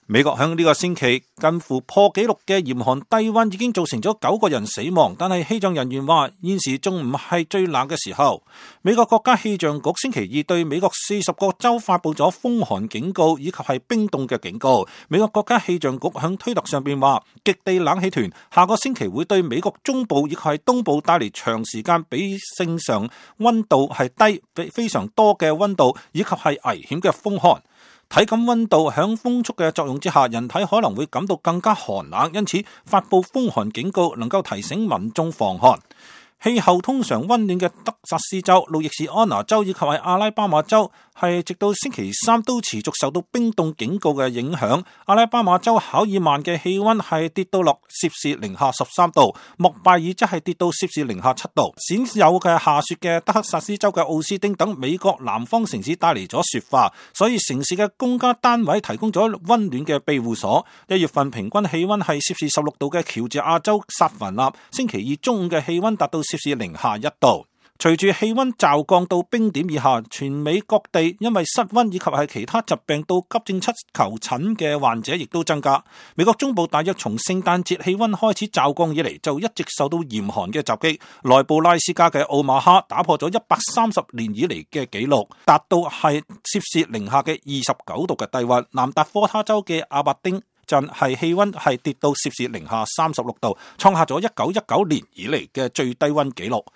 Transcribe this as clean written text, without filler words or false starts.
美國響呢個星期近乎破紀錄嘅嚴寒低溫已經造成咗9個人死亡，但係氣象人員話現時仲唔係最冷嘅時候。美國國家氣象局星期二對美國40個州發佈咗風寒警告以及係冰凍嘅警告。美國國家氣象局響推特上邊話，極地冷氣團下個星期會對美國中部以及係東部帶嚟長時間比正常溫度係低非常多嘅溫度以及係危險嘅風寒。體感溫度響風速嘅作用之下，人體可能會感到更加寒冷，因此發佈風寒警告能夠提醒民眾防寒。氣候通常溫暖嘅德薩斯州、路易斯安那州以及係阿拉巴馬州係直到星期三都持續受到冰凍警告嘅影響。阿拉巴馬州考爾曼嘅氣溫係跌到落攝氏零下13度，莫拜爾則係跌到攝氏零下7度。鮮有嘅下雪嘅德克薩斯州嘅奧斯丁等美國南方城市帶嚟咗雪化，所以城市嘅公家單位提供咗溫暖嘅庇護所。1月份平均氣溫係攝氏16度嘅喬治亞州薩凡納，星期二中午嘅氣溫達到攝氏零下1度。隨住氣溫驟降到冰點以下，全美各地因為失溫以及係其他疾病到急症室求診嘅患者亦都增加。美國中部大約從聖誕節氣溫開始驟降以嚟，就一直受到嚴寒嘅襲擊。內布拉斯加嘅奧馬哈打破咗130年以嚟嘅紀錄，達到係攝氏零下嘅29度嘅低溫。南達科他州嘅阿伯丁鎮係氣溫係跌到攝氏零下36度，創下咗1919年以嚟嘅最低溫紀錄。